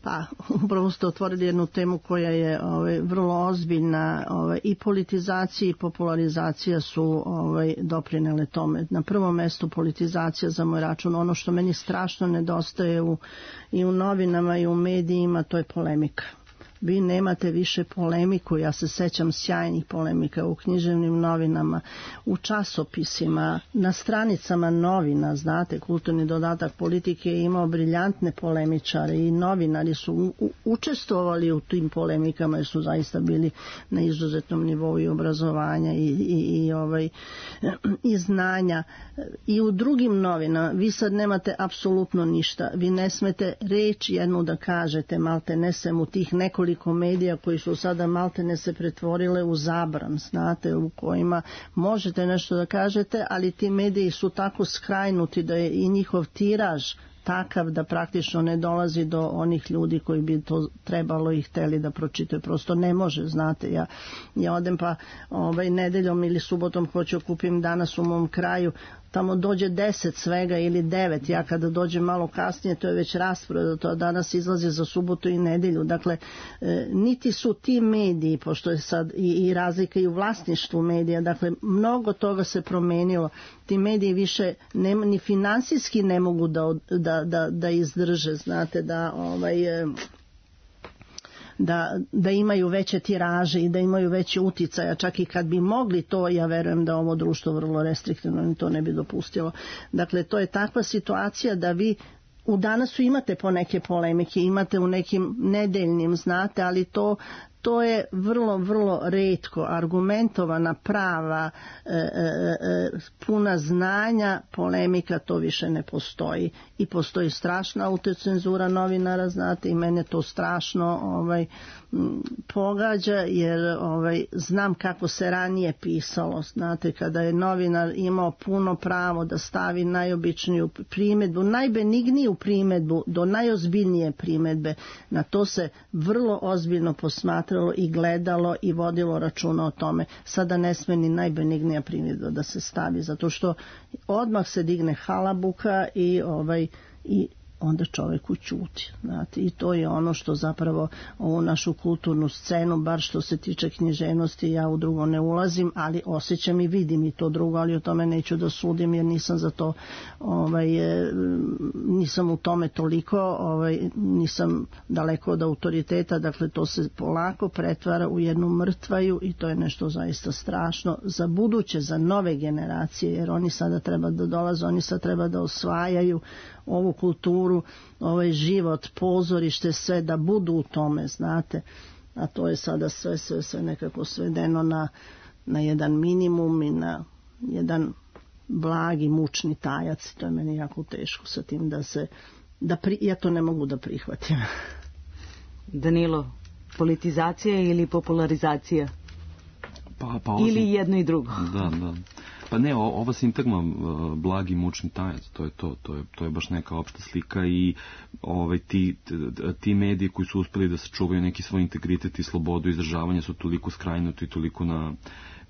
Pa, upravo ste otvorili jednu temu koja je ovaj, vrlo ozbiljna, ovaj, i politizacija i popularizacija su ovaj, doprinele tome. Na prvom mestu politizacija za moj račun, ono što meni strašno nedostaje u, i u novinama i u medijima, to je polemika. Vi nemate više polemiku, ja se sećam sjajnih polemika u književnim novinama, u časopisima, na stranicama novina, znate, Kulturni dodatak politike je imao briljantne polemičare i novinari su u, u, učestvovali u tim polemikama jer su zaista bili na izuzetnom nivou i obrazovanja i, i, i, ovaj, i znanja. I u drugim novinama vi sad nemate apsolutno ništa, vi ne smete reč jednu da kažete, malte ne sem u tih nekoliko medija koji su sada maltene se pretvorile u zabran, znate, u kojima možete nešto da kažete, ali ti mediji su tako skrajnuti da je i njihov tiraž takav da praktično ne dolazi do onih ljudi koji bi to trebalo i hteli da pročitaju. Prosto ne može, znate, ja, ja odem pa ovaj, nedeljom ili subotom hoću kupim danas u mom kraju, tamo dođe deset svega ili devet, ja kada dođem malo kasnije to je već rasprodato, to danas izlazi za subotu i nedelju. Dakle, e, niti su ti mediji, pošto je sad i, i razlika i u vlasništvu medija, dakle mnogo toga se promenilo, ti mediji više ne, ni finansijski ne mogu da, da, da, da izdrže, znate, da ovaj... E, Da, da imaju veće tiraže i da imaju veće uticaja, čak i kad bi mogli to, ja verujem da ovo društvo vrlo restriktivno to ne bi dopustilo. Dakle, to je takva situacija da vi u danasu imate po neke polemike, imate u nekim nedeljnim, znate, ali to to je vrlo, vrlo retko, argumentovana, prava, e, e, puna znanja, polemika, to više ne postoji. I postoji strašna autocenzura novinara, znate, i mene to strašno ovaj, pogađa, jer ovaj, znam kako se ranije pisalo, znate, kada je novinar imao puno pravo da stavi najobičniju primedbu, najbenigniju primedbu do najozbiljnije primedbe, na to se vrlo ozbiljno posmatra i gledalo i vodilo računa o tome. Sada ne sme ni najbenignija primjedba da se stavi, zato što odmah se digne halabuka i ovaj i onda čovjek ućuti. Znate, i to je ono što zapravo ovu našu kulturnu scenu, bar što se tiče književnosti, ja u drugo ne ulazim, ali osjećam i vidim i to drugo, ali o tome neću da sudim jer nisam za to, ovaj, nisam u tome toliko, ovaj, nisam daleko od autoriteta, dakle to se polako pretvara u jednu mrtvaju i to je nešto zaista strašno za buduće, za nove generacije, jer oni sada treba da dolaze, oni sada treba da osvajaju ovu kulturu, ovaj život, pozorište, sve da budu u tome, znate, a to je sada sve, sve, sve nekako svedeno na, na jedan minimum i na jedan blagi, mučni tajac, to je meni jako teško sa tim da se, da pri, ja to ne mogu da prihvatim. Danilo, politizacija ili popularizacija? Pa, pa ili jedno i drugo? Da, da. Pa ne, o, ova sintagma uh, blagi mučni tajac, to je to, to je, to je baš neka opšta slika i ovaj, ti, ti mediji koji su uspeli da sačuvaju neki svoj integritet i slobodu izražavanja su toliko skrajnuti i toliko na,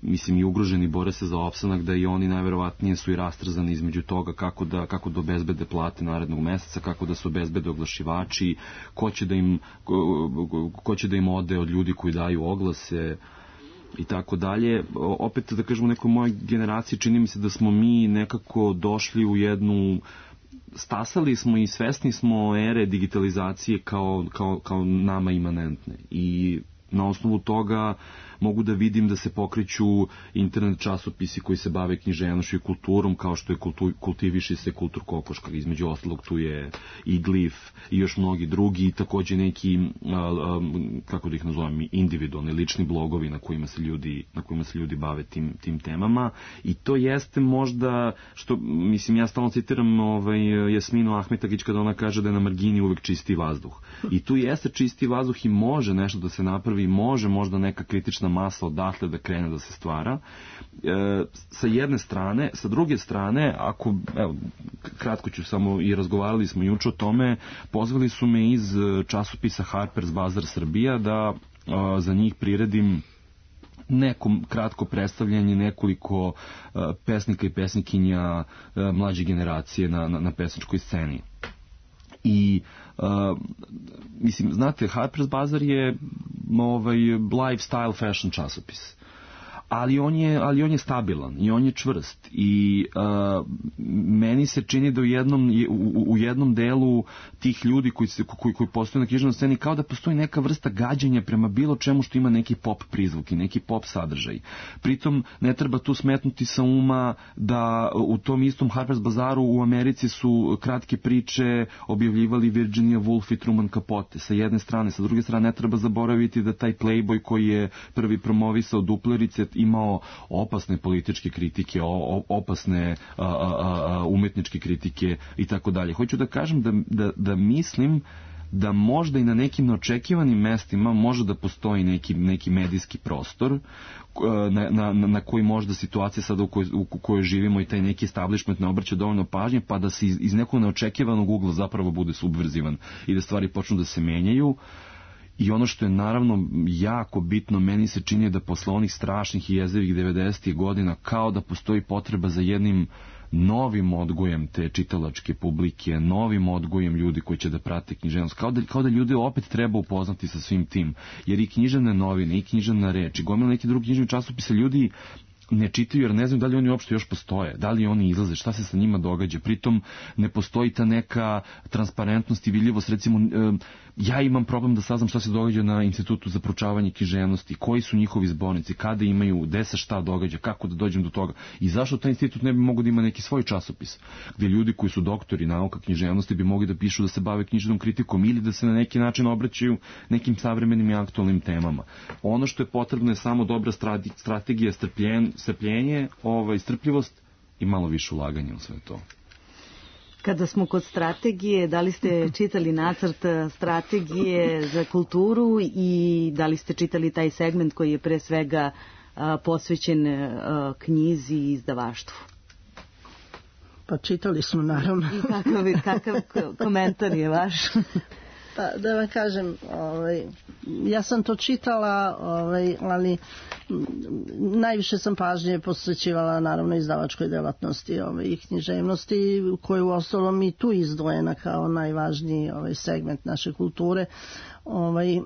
mislim, i ugroženi, bore se za opstanak, da i oni najverovatnije su i rastrzani između toga kako da, kako da obezbede plate narednog meseca, kako da se obezbede oglašivači, ko će da im, ko, ko će da im ode od ljudi koji daju oglase i tako dalje. Opet da kažemo, nekoj mojoj generaciji čini mi se da smo mi nekako došli u jednu, stasali smo i svesni smo ere digitalizacije kao, kao, kao nama imanentne i na osnovu toga mogu da vidim da se pokreću internet časopisi koji se bave književnošću i kulturom, kao što je kultu, Kultiviši se Kultur Kokoška, između ostalog tu je i Glif i još mnogi drugi, i takođe neki, a, a, kako da ih nazovem, individualni, lični blogovi na kojima se ljudi, na kojima se ljudi bave tim, tim temama, i to jeste možda, što, mislim, ja stalno citiram ovaj, Jasminu Ahmetagić kada ona kaže da je na margini uvek čisti vazduh. I tu jeste čisti vazduh i može nešto da se napravi, može možda neka kritična masa odatle da krene da se stvara. E, sa jedne strane, sa druge strane, ako, evo, kratko ću samo, i razgovarali smo juče o tome, pozvali su me iz časopisa Harper's Bazaar Srbija da a, za njih priredim neko kratko predstavljanje nekoliko a, pesnika i pesnikinja a, mlađe generacije na, na, na pesničkoj sceni. I uh, mislim, znate, Harper's Bazaar je ovaj lifestyle fashion časopis, ali on je, ali on je stabilan i on je čvrst i uh, meni se čini da u jednom, u, u jednom delu tih ljudi koji, se, koji, koji postoje na književnoj sceni kao da postoji neka vrsta gađanja prema bilo čemu što ima neki pop prizvuk i neki pop sadržaj. Pritom ne treba tu smetnuti sa uma da u tom istom Harper's Bazaaru u Americi su kratke priče objavljivali Virginia Woolf i Truman Capote sa jedne strane, sa druge strane ne treba zaboraviti da taj Playboy koji je prvi promovisao duplerice imao opasne političke kritike, opasne a, a, a, umetničke kritike i tako dalje. Hoću da kažem da, da, da mislim da možda i na nekim neočekivanim mestima može da postoji neki, neki medijski prostor na, na, na koji možda situacija sada u kojoj, u kojoj živimo i taj neki establishment ne obraća dovoljno pažnje, pa da se iz, iz nekog neočekivanog ugla zapravo bude subverzivan i da stvari počnu da se menjaju. I ono što je naravno jako bitno, meni se čini da posle onih strašnih i jezivih devedesetih godina kao da postoji potreba za jednim novim odgojem te čitalačke publike, novim odgojem ljudi koji će da prate književnost. Kao da, kao da ljudi opet treba upoznati sa svim tim. Jer i književne novine, i književna reč, i gomila neki drugi književni časopise ljudi ne čitaju jer ne znaju da li oni uopšte još postoje, da li oni izlaze, šta se sa njima događa. Pritom ne postoji ta neka transparentnost i vidljivost. Recimo, ja imam problem da saznam šta se događa na Institutu za proučavanje književnosti, koji su njihovi zbornici, kada imaju, gde se šta događa, kako da dođem do toga i zašto taj institut ne bi mogao da ima neki svoj časopis, gde ljudi koji su doktori nauka književnosti bi mogli da pišu, da se bave književnom kritikom ili da se na neki način obraćaju nekim savremenim i aktualnim temama. Ono što je potrebno je samo dobra strategija, strpljen, strpljenje, ovaj, strpljivost i malo više ulaganja u sve to. Kada smo kod strategije, da li ste čitali nacrt strategije za kulturu i da li ste čitali taj segment koji je pre svega a, posvećen a, knjizi i izdavaštvu? Pa čitali smo, naravno. I kakav, kakav komentar je vaš? Pa da vam kažem, ovaj, ja sam to čitala, ovaj, ali najviše sam pažnje posvećivala naravno izdavačkoj delatnosti ovaj, i književnosti, koju uostalom i tu izdvojena kao najvažniji ovaj, segment naše kulture. Ovaj,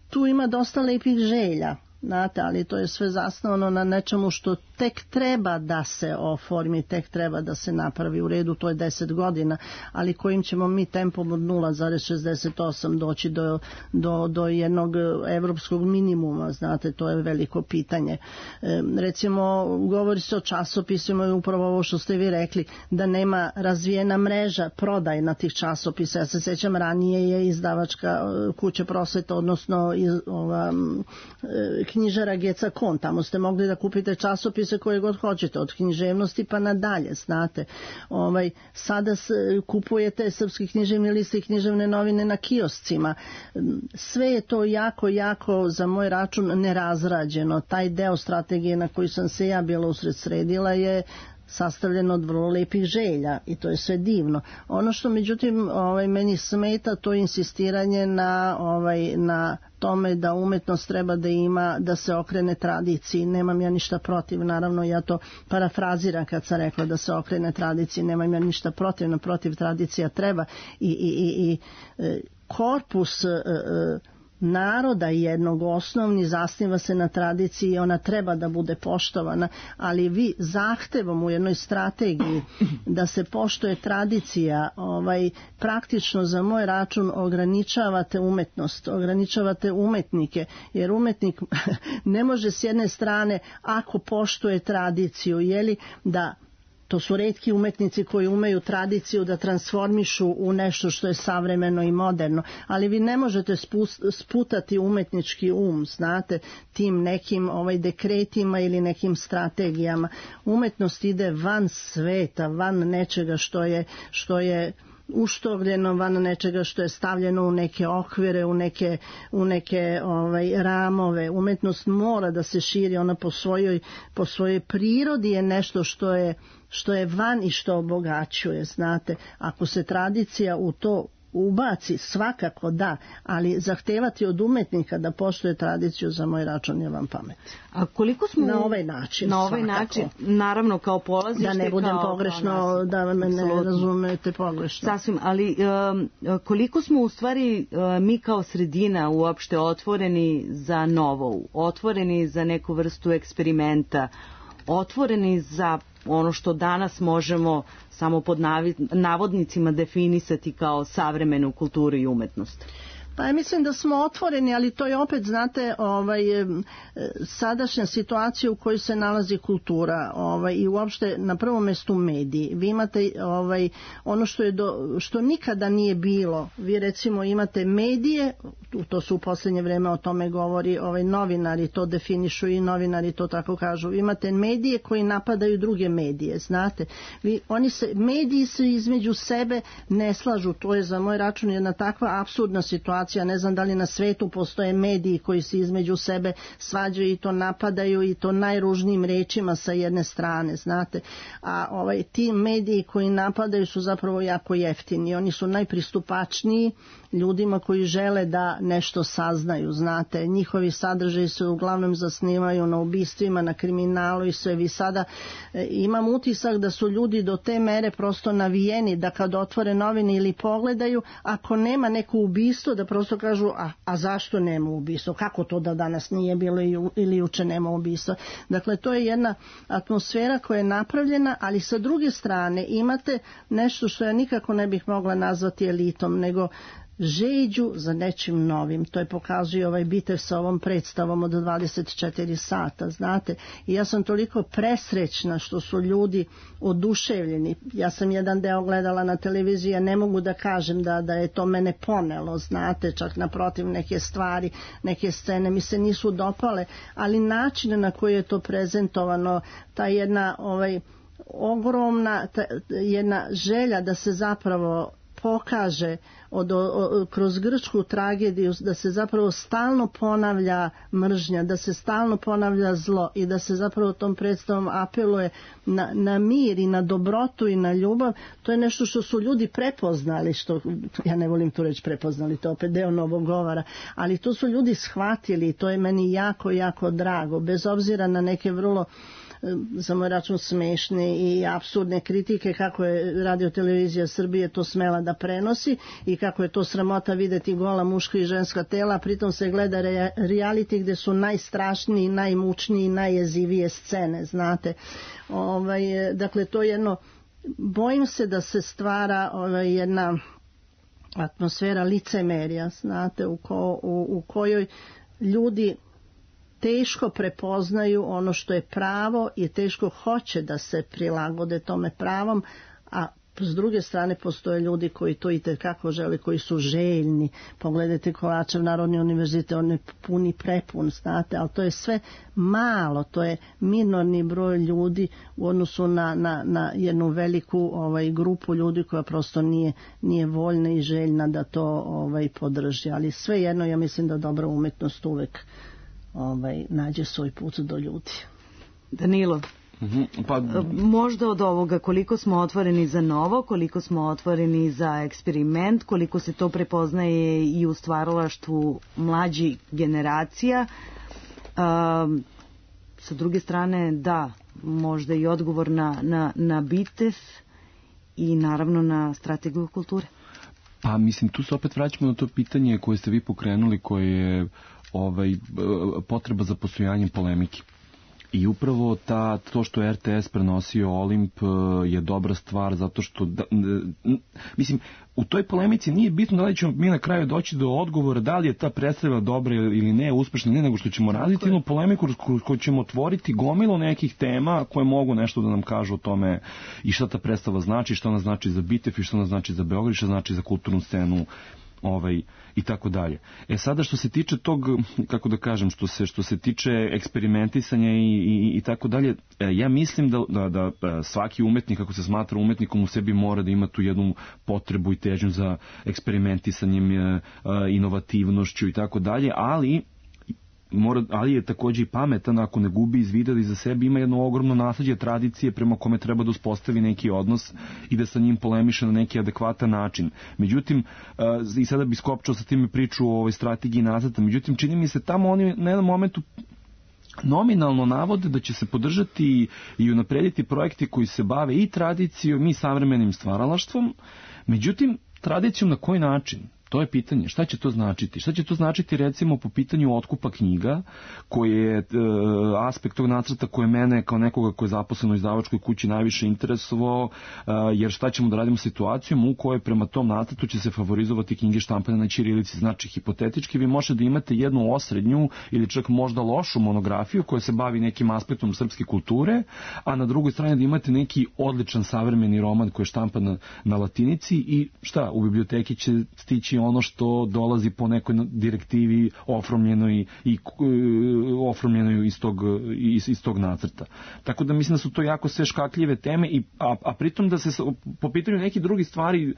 tu ima dosta lepih želja, znate, ali to je sve zasnovano na nečemu što tek treba da se oformi, tek treba da se napravi. U redu, to je deset godina, ali kojim ćemo mi tempom od nula zarez šezdeset osam doći do, do, do jednog evropskog minimuma, znate, to je veliko pitanje. E, recimo, govori se o časopisima i upravo ovo što ste vi rekli, da nema razvijena mreža prodajna tih časopisa. Ja se sjećam, ranije je izdavačka kuća Prosveta, odnosno iz, ova, knjižara Geca Kon, tamo ste mogli da kupite časopise koje god hoćete, od književnosti pa nadalje, znate. Ovaj, sada s, kupujete Srpski književni list i književne novine na kioscima. Sve je to jako, jako za moj račun nerazrađeno. Taj deo strategije na koji sam se ja bila usred sredila je sastavljeno od vrlo lepih želja i to je sve divno. Ono što međutim ovaj, meni smeta, to je insistiranje na, ovaj, na tome da umetnost treba da ima, da se okrene tradiciji. Nemam ja ništa protiv, naravno ja to parafraziram kad sam rekla da se okrene tradiciji, nemam ja ništa protiv, naprotiv, tradicija treba i, i, i, i korpus e, e, naroda jednog osnovni zasniva se na tradiciji i ona treba da bude poštovana, ali vi zahtevom u jednoj strategiji da se poštuje tradicija, ovaj, praktično za moj račun ograničavate umetnost, ograničavate umetnike, jer umetnik ne može s jedne strane, ako poštuje tradiciju, jeli, da to su retki umetnici koji umeju tradiciju da transformišu u nešto što je savremeno i moderno, ali vi ne možete sputati umetnički um, znate, tim nekim ovaj dekretima ili nekim strategijama. Umetnost ide van sveta, van nečega što je, što je uštovljeno, van nečega što je stavljeno u neke okvire, u neke, u neke ovaj, ramove. Umetnost mora da se širi, ona po svojoj, po svojoj prirodi je nešto što je, što je van i što obogaćuje, znate. Ako se tradicija u to ubaci, svakako da, ali zahtevati od umetnika da poštuje tradiciju za moj račun je vam pamet. A koliko smo na ovaj način, na ovaj svakako. način, naravno kao polazište, da ne budem kao, pogrešno, kao da me ne Absolutno. razumete pogrešno. Sasvim, ali um, koliko smo u stvari um, mi kao sredina uopšte otvoreni za novo, otvoreni za neku vrstu eksperimenta, otvoreni za ono što danas možemo samo pod navodnicima definisati kao savremenu kulturu i umetnost? Pa ja mislim da smo otvoreni, ali to je opet, znate, ovaj, sadašnja situacija u kojoj se nalazi kultura, ovaj, i uopšte na prvom mjestu mediji. Vi imate ovaj, ono što, je do, što nikada nije bilo. Vi recimo imate medije, to su u posljednje vreme o tome govori, ovaj, novinari to definišu i novinari to tako kažu. Vi imate medije koji napadaju druge medije, znate. Vi, oni se, mediji se između sebe ne slažu, to je za moj račun jedna takva apsurdna situacija. Ne znam da li na svetu postoje mediji koji se između sebe svađaju i to napadaju i to najružnijim rečima sa jedne strane, znate. A ovaj, ti mediji koji napadaju su zapravo jako jeftini. Oni su najpristupačniji ljudima koji žele da nešto saznaju, znate. Njihovi sadržaji se uglavnom zasnivaju na ubistvima, na kriminalu i sve. Vi sada e, imam utisak da su ljudi do te mere prosto navijeni da kad otvore novine ili pogledaju, ako nema neko ubistvo, da prosto kažu, a, a zašto nema ubistva? Kako to da danas nije bilo ili juče nema ubistva? Dakle, to je jedna atmosfera koja je napravljena, ali sa druge strane imate nešto što ja nikako ne bih mogla nazvati elitom, nego žeđu za nečim novim. To je pokazuje ovaj bitev sa ovom predstavom od dvadeset četiri sata, znate. I ja sam toliko presrećna što su ljudi oduševljeni. Ja sam jedan deo gledala na televiziji, ja ne mogu da kažem da, da je to mene ponelo, znate, čak naprotiv neke stvari, neke scene mi se nisu dopale, ali način na koji je to prezentovano, ta jedna ovaj, ogromna, ta, jedna želja da se zapravo pokaže od, od, kroz grčku tragediju da se zapravo stalno ponavlja mržnja, da se stalno ponavlja zlo i da se zapravo tom predstavom apeluje na, na mir i na dobrotu i na ljubav. To je nešto što su ljudi prepoznali, što ja ne volim tu reći prepoznali, to je opet deo novog govora, ali to su ljudi shvatili i to je meni jako, jako drago, bez obzira na neke vrlo za moj račun smešne i apsurdne kritike kako je Radio-televizija Srbije to smela da prenosi i kako je to sramota videti gola muška i ženska tela, pritom se gleda re- reality gde su najstrašniji, najmučniji, najjezivije scene, znate. Ovaj, dakle, to je jedno, bojim se da se stvara ovaj, jedna atmosfera licemerja, znate, u, ko, u, u kojoj ljudi teško prepoznaju ono što je pravo i teško hoće da se prilagode tome pravom, a s druge strane postoje ljudi koji to i tekako žele, koji su željni. Pogledajte Kovačev Narodni univerzitet, on je puni prepun, znate, ali to je sve malo, to je minorni broj ljudi u odnosu na, na, na jednu veliku ovaj, grupu ljudi koja prosto nije, nije voljna i željna da to ovaj, podrži. Ali svejedno ja mislim da dobra umetnost uvek ovaj, nađe svoj put do ljudi. Danilo, mm-hmm. pa... možda od ovoga koliko smo otvoreni za novo, koliko smo otvoreni za eksperiment, koliko se to prepoznaje i u stvaralaštvu mlađih generacija. Um, sa druge strane, da, možda i odgovor na, na, na BITEF i naravno na strategiju kulture. Pa mislim, tu se opet vraćamo na to pitanje koje ste vi pokrenuli, koje je ovaj, potreba za postojanjem polemike. I upravo ta, to što je R T S prenosio Olimp je dobra stvar, zato što, da, mislim, u toj polemici nije bitno da li ćemo mi na kraju doći do odgovora da li je ta predstava dobra ili ne, uspešna, ne, nego što ćemo raditi jednu polemiku koju ćemo otvoriti gomilu nekih tema koje mogu nešto da nam kažu o tome i šta ta predstava znači, šta ona znači za BITEF i šta ona znači za Beograd, šta znači za kulturnu scenu, ovaj i tako dalje. E sada što se tiče tog, kako da kažem, što se što se tiče eksperimentisanja i i, i tako dalje, ja mislim da, da da svaki umetnik, kako se smatra umetnikom, u sebi mora da ima tu jednu potrebu i težnju za eksperimentisanjem, inovativnošću i tako dalje, ali mora, ali je takođe i pametan ako ne gubi iz vida da iza sebe ima jedno ogromno nasleđe tradicije prema kome treba da uspostavi neki odnos i da sa njim polemiše na neki adekvatan način. Međutim, i sada bi skopčao sa time priču o ovoj strategiji nacrta, međutim čini mi se tamo oni na jednom momentu nominalno navode da će se podržati i unaprediti projekti koji se bave i tradicijom i savremenim stvaralaštvom, međutim tradicijom na koji način? To je pitanje. Šta će to značiti? Šta će to značiti recimo po pitanju otkupa knjiga, koji je e, aspekt tog nacrta koji mene kao nekoga koji je zaposlen u izdavačkoj kući najviše interesovao, e, jer šta ćemo da radimo situacijom u kojoj prema tom nacrtu će se favorizovati knjige štampane na ćirilici. Znači, hipotetički vi možete da imate jednu osrednju ili čak možda lošu monografiju koja se bavi nekim aspektom srpske kulture, a na drugoj strani da imate neki odličan savremeni roman koji je štampan na, na latinici i šta, u biblioteki će stići ono što dolazi po nekoj direktivi ofromljenoj i ofromljenoj iz tog, iz, iz tog nacrta. Tako da mislim da su to jako sve škakljive teme, i, a, a pritom da se po pitanju nekih drugih stvari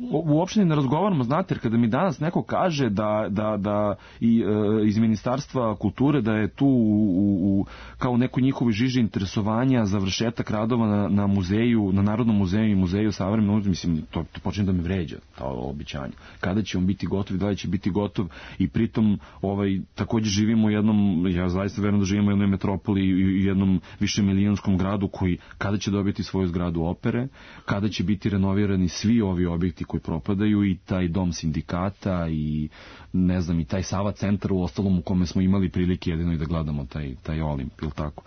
uopšte ne razgovaramo, znate, jer kada mi danas neko kaže da, da, da i, e, iz Ministarstva kulture da je tu u, u, kao u nekoj njihovoj žiži interesovanja završetak radova na, na muzeju, na Narodnom muzeju i muzeju savremenog, mislim, to, to počne da me vređa, to običanje. Kada će on biti gotov i da li će biti gotov, i pritom ovaj, također živimo u jednom, ja zaista verujem da živimo u jednoj metropoli i jednom višemilijonskom gradu koji kada će dobiti svoju zgradu opere, kada će biti renovirani svi ovi objekti koji propadaju, i taj dom sindikata i ne znam, i taj Sava centar u ostalom u kome smo imali prilike jedino i da gledamo taj, taj Olimp, ili tako.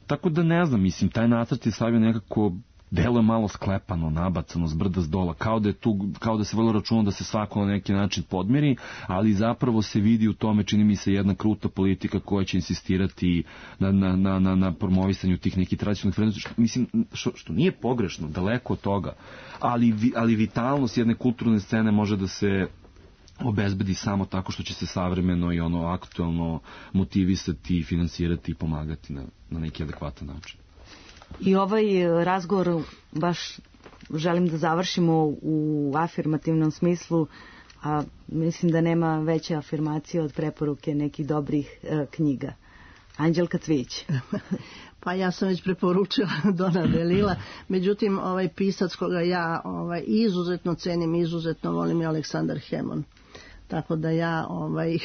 Tako da ne znam, mislim, taj nacrt je stavio nekako, delo je malo sklepano, nabacano, s brda s dola, kao da, je tu, kao da se vrlo računa da se svako na neki način podmiri, ali zapravo se vidi u tome, čini mi se, jedna kruta politika koja će insistirati na, na, na, na, na promovisanju tih nekih tradicionalnih vrednosti, što, mislim, što, što nije pogrešno, daleko od toga, ali, ali vitalnost jedne kulturne scene može da se obezbedi samo tako što će se savremeno i ono aktualno motivisati, finansirati i pomagati na, na neki adekvatan način. I ovaj razgovor baš želim da završimo u afirmativnom smislu, a mislim da nema veće afirmacije od preporuke nekih dobrih e, knjiga. Anđelka Cvić. Pa ja sam već preporučila Dona Delila, međutim ovaj pisac koga ja ovaj, izuzetno cenim, izuzetno volim je Aleksandar Hemon. Tako da ja ovaj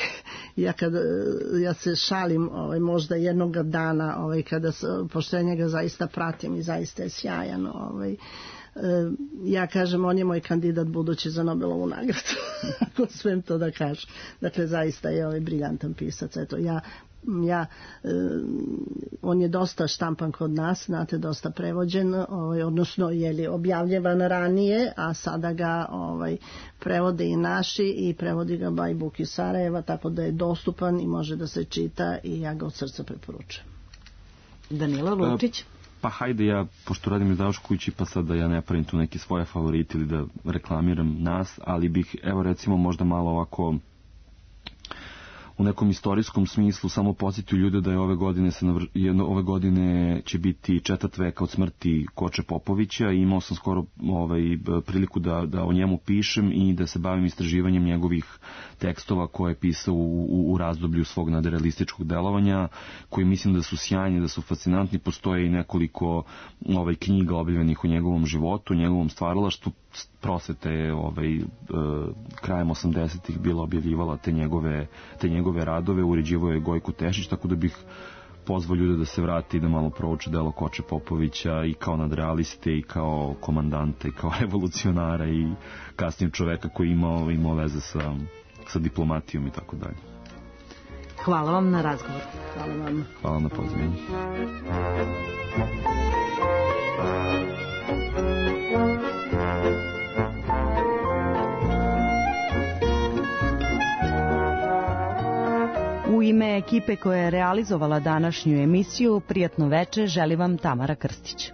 ja kad ja se šalim ovaj možda jednog dana ovaj kada pošto ja njega zaista pratim i zaista je sjajan, ovaj ja kažem on je moj kandidat budući za Nobelovu nagradu. Ako smem to da kažem. Dakle zaista je ovaj briljantan pisac. Eto ja ja eh, on je dosta štampan kod nas, znate, dosta prevođen, ovaj, odnosno je li objavljevan ranije, a sada ga ovaj prevode i naši i prevodi ga by Book iz Sarajeva, tako da je dostupan i može da se čita i ja ga od srca preporučujem. Danilo Lučić. Pa hajde ja, pošto radim izdavačkoj kući, pa sad da ja ne pravim tu neke svoje favorite ili da reklamiram nas, ali bih, evo recimo, možda malo ovako u nekom istorijskom smislu samo podsjetio ljude da je ove godine se navr... jedno, ove godine će biti četvrt veka od smrti Koče Popovića i imao sam skoro ovaj, priliku da, da o njemu pišem i da se bavim istraživanjem njegovih tekstova koje je pisao u, u, u razdoblju svog nadrealističkog delovanja, koji mislim da su sjajni, da su fascinantni. Postoje i nekoliko ovaj, knjiga objavljenih u njegovom životu, u njegovom stvaralaštvu. Prosveta je ovaj, e, krajem osamdesetih bila objavljivala te njegove, te njegove radove, uređivao je Gojko Tešić, tako da bih pozvao ljude da se vrati i da malo prouče delo Koče Popovića i kao nadrealiste i kao komandante i kao revolucionara i kasnije čoveka koji imao, imao veze sa, sa diplomatijom i tako dalje. Hvala vam na razgovor. Hvala vam. Hvala na pozivanju. U ime ekipe koja je realizovala današnju emisiju, prijatno veče želi vam Tamara Krstić.